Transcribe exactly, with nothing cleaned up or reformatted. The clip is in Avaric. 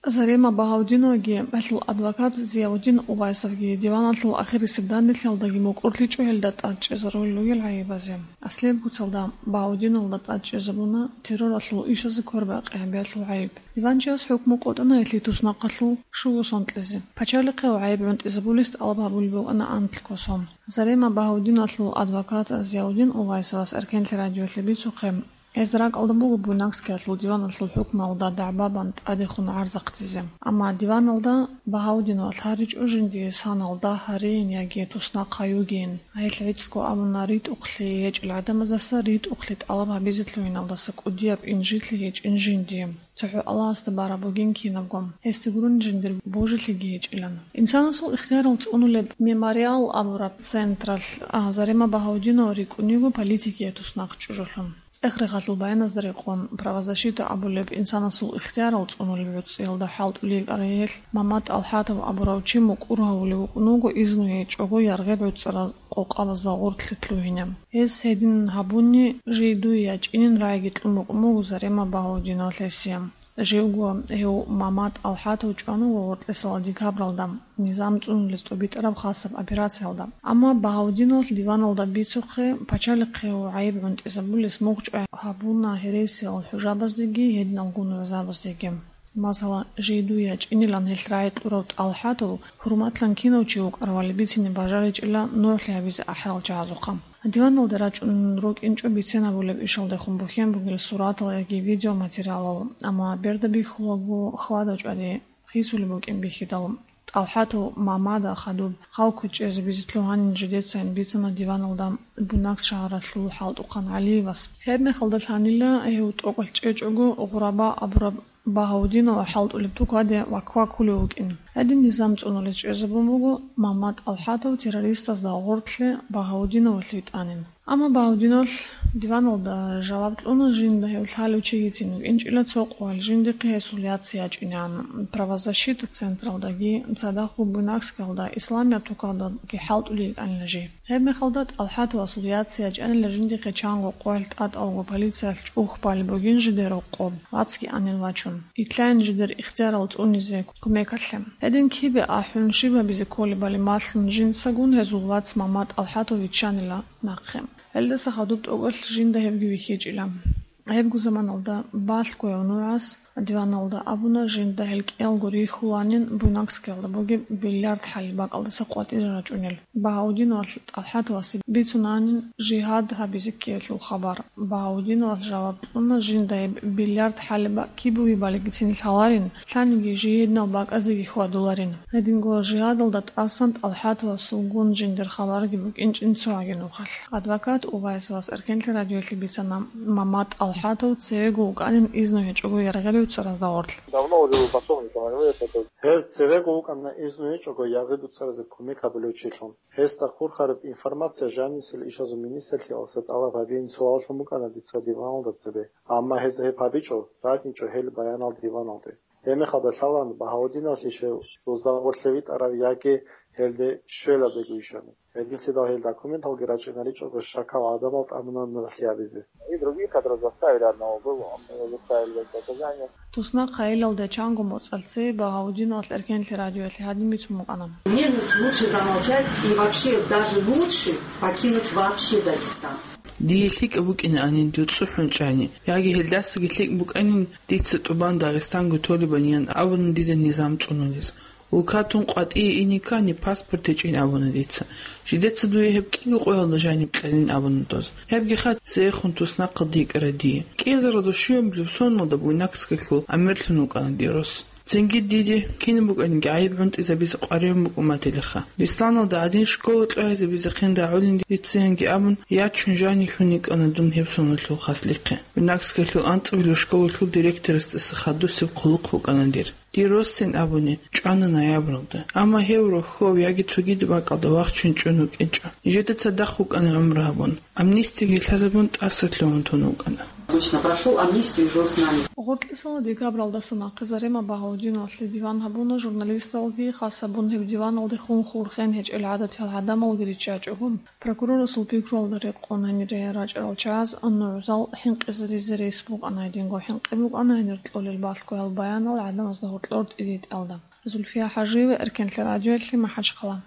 Зарема Багьаудиноваги гьелъул адвокат Зияудин Увайсовги диваналъул ахирисеб данделъиялдаги мукӀурлъичӀо гьелда тӀад чӀезарулел ругел гӀайибазе. Аслияб куцалда Багьаудиновалда тӀад чӀезабуна терроралъул ишазе квербакъи гьабиялъул гӀайиб. Диванчияс хӀукму къотӀана гьелъие туснахъалъул щуго сон кьезе. Пачалихъе гьев гӀайиб гӀунтӀизабулес тӀалаб гьабулеб букӀана анлъго сон. Зарема Багьаудиналъул адвокат Зияудин Увайсовас Эркенлъи радиолъе бицухъе, гьез ракӀалда буго Буйнакскиялъул диваналъул хӀукмуялда дагӀба бан тӀадехун гӀарзахъдизе. Амма диваналда Багьаудиновалъ гьаричӀо жиндие санал дагь гьарейин яги туснахъ гьаюгейин. Гьелъ гӀицӀго абуна ритӀухълъи гьечӀел гӀадамаздаса ритӀухълъи тӀалаб гьабизе лъугьиналдаса кӀудияб инжитлъи гьечӀин жиндие. ЦохӀо Аллагьасда бараб бугин кинабго, гьесде гурони жиндир божилъиги гьечӀилан. Инсанасул ихтиярал цӀунулеб «Мемориал» абураб централъ, а, Зарема Багьаудинова рикӀкӀун йиго политикияе туснахъ чӀужулъун. ЦӀех-рехалъул баяназда рекъон, правозащита абулеб инсанасул ихтиярал цӀунулеб гӀуцӀиялда хӀалтӀулей кӀарай гьелъ Мамат ТӀалхӀатов абурав чи мукӀур гьавулев вукӀун вуго изну гьечӀого яргъел гӀуцӀарал къокъабазда гъоркьлъи лъугьине. Гьес гьедин гьабуни, жидуе ячӀинин рагӀиги кьун букӀун буго Зарема Багьаудиновалъ гьесие. Живго гьев Мамат ТӀалхӀатов чӀван вуго гъоркьесала декабралда, низам цӀунулес тӀубитӀараб хасаб операциялда. Амма Багьаудиновалъ диваналда бицухъе, пачалихъе гьев гӀайиб гӀунтӀизабулес мугъчӀвай гьабуна гьересиял хӀужабаздеги гьединал гунугӀзабаздеги. Масала, жидуе ячӀинилан гьелъ рагӀи кьурав ТӀалхӀатов хӀурматлъан кинав чи вукӀаравали бицине бажаричӀила нугӀлъи гьабизе ахӀарал чагӀазухъа. Диваналда рачӀун рукӀинчӀо бицинабулеб ишалдехун бухьен бугел суратал яги видеоматериалал, амма берда бихьулаго хьвада-чӀвади хисулеб букӀин бихьидал, ТӀалхӀатов Мамада хадуб хал кучӀезабизе лъугьанин жидецайин бицана диваналда Буйнакск шагьаралъул хӀалтӀухъан ГӀалиевас. Гьеб мехалда лъанила гьев тӀокӀалъ чӀечӀого Гъураба абураб Багьаудинова хӀалтӀулеб тукаде вак-вакулев вукӀин. Гьедин низам цӀунулес чӀезабун буго Мамат ТӀалхӀатов террористазда гъоркьлъи Багьаудиновалъ витӀанин. Амма Багьаудиновалъ диваналда жаваб кьуна, жинда гьев лъалев чигицин вукӀинчӀила цо къоялъ жиндихъе гьесул яц ячӀинегӀан. Правозащита централдаги, цадахъго Буйнакскиялда исламияб тукалдаги хӀалтӀулей йикӀанила жий. Гьеб мехалда ТӀалхӀатовасул яц ячӀанила жиндихъе чанго къоялъ тӀатӀалго полициялъ чӀухь балеб бугин жидер рокъоб, вацги анин вачун. Итлъайин жидер ихтиярал цӀунизе кумекалъе. Гьедин кибе ахӀун, щиб гьабизе кколебали малъун жинцагун гьезул вац Мамат ТӀалхӀатов виччанила нахъе. Гьелдаса хадуб тӀокӀалъ жинда гьевги вихьичӀила. Гьебго заманалда балъго гьев нугӀас диваналда абуна, жинда гьел кӀиялго рихьуланин Буйнакскиялда бугеб бильярд хӀалиб бакӀалдаса къватӀире рачӀунел. Багьаудиновалъ ТӀалхӀатовасе бицунанин жигьад гьабизе ккеялъул хабар. Багьаудиновалъ жаваб кьуна, жинда гьеб бильярд хӀалиб киб бугебалигицин лъаларин, лъаниги жий гьединал бакӀазеги хьвадуларин. Гьединго жигьадалда тӀасан ТӀалхӀатовасулгун жиндир хабарги букӀинчӀин цо гӀаги нухалъ. Адвокат Увайсовас Эркенлъи радиоялъе бицана Мамат ТӀалхӀатов цевего вукӀанин изну гьечӀого яргъел гӀуцӀаразда гъорлъ. Давно уже был пособником МВД, это Гьев цевего вукӀана изну гьечӀого яргъел гӀуцӀаразе кумек гьабулев чилъун. Гьесда хурхараб информация жанисел ишазул министрлъиялдаса тӀалаб гьабиин суаллъун букӀана дица диваналда цебе, амма гьез гьеб гьабичӀо, ракӀинчӀо гьел баянал диваналде. Гьебмехалда лъалаан Багьаудиновлъищев гъозда гъорлъе витӀарав яги гьелде щвелаб бугищали. Гьединлъидал гьел документалги рачӀинаричӀого щакал гӀадамал тӀамуна нугӀлъи гьабизе. И других, которые заставили одного было, он его заставили дать показания. Туснахъ гьайилалде чанго моцӀалъ цее Багьаудиновалъ Эркенлъи радиоялъе гьадин бицун букӀана. Мне лучше замолчать и вообще, даже лучше покинуть вообще Дагестан. Дие лъикӀаб букӀинаанин дир цӀухӀун чӀани, яги гьелдасаги лъикӀ букӀанин дица тӀубан Дагъистанго толебаниян абуна дида низам цӀунулес. Улкатун къватӀие ине ккани, паспорт гьечӀин абуна дица. Жидеца дуе гьеб кӀиго къоялда жаниб кьелин абуна доз. Гьебги хат цеехун туснахъалде йикӀара дие. КӀиазаралда щуябилеб соналда Буйнакскиялъул амирлъун вукӀана дир рос. Цинги диде кинаб букӀаниги гӀайиб гӀунтӀизабизе къваригӀун букӀун батилаха. Бесланалда гӀадин школа кьогӀизабизехъин рагӀулин дица янги абун, ячун жанихьун йикӀана дун гьеб соналъул хаслихъе. Буйнакскиялъул анцӀабилеб школалъул директорасдаса хадусеб хъулухъ букӀана дир. Дир росцин абуни, чӀвана ноябралда. Амма гьев рохьов яги цогидаб бакӀалда вахчун чӀун вукӀинчӀо. Нижеда цадахъ вукӀана гӀумру гьабун. Амнистиги лъазабун тӀаса лъугьун тун вукӀана. Лично прошёл амнистию и жил с нами. Гъоркьисала декабралдаса нахъе Зарема Багьаудиновалъе диван гьабуна журналисталги, хас гьабун гьеб диваналдехун хурхен гьечӀел гӀадатиял гӀадамалги риччачӀого. Прокурорасул пикруялда рекъон гьанир рачӀарал чагӀаз нугӀзал хӀинкъизаризе рес букӀана, гьединго хӀинкъи букӀана гьанир кьолел балъгоял баянал гӀадамазда гьоркьор тӀидитӀалда. Зульфия ХӀажиева, Эркенлъи радиоялъе, МахӀачхъала.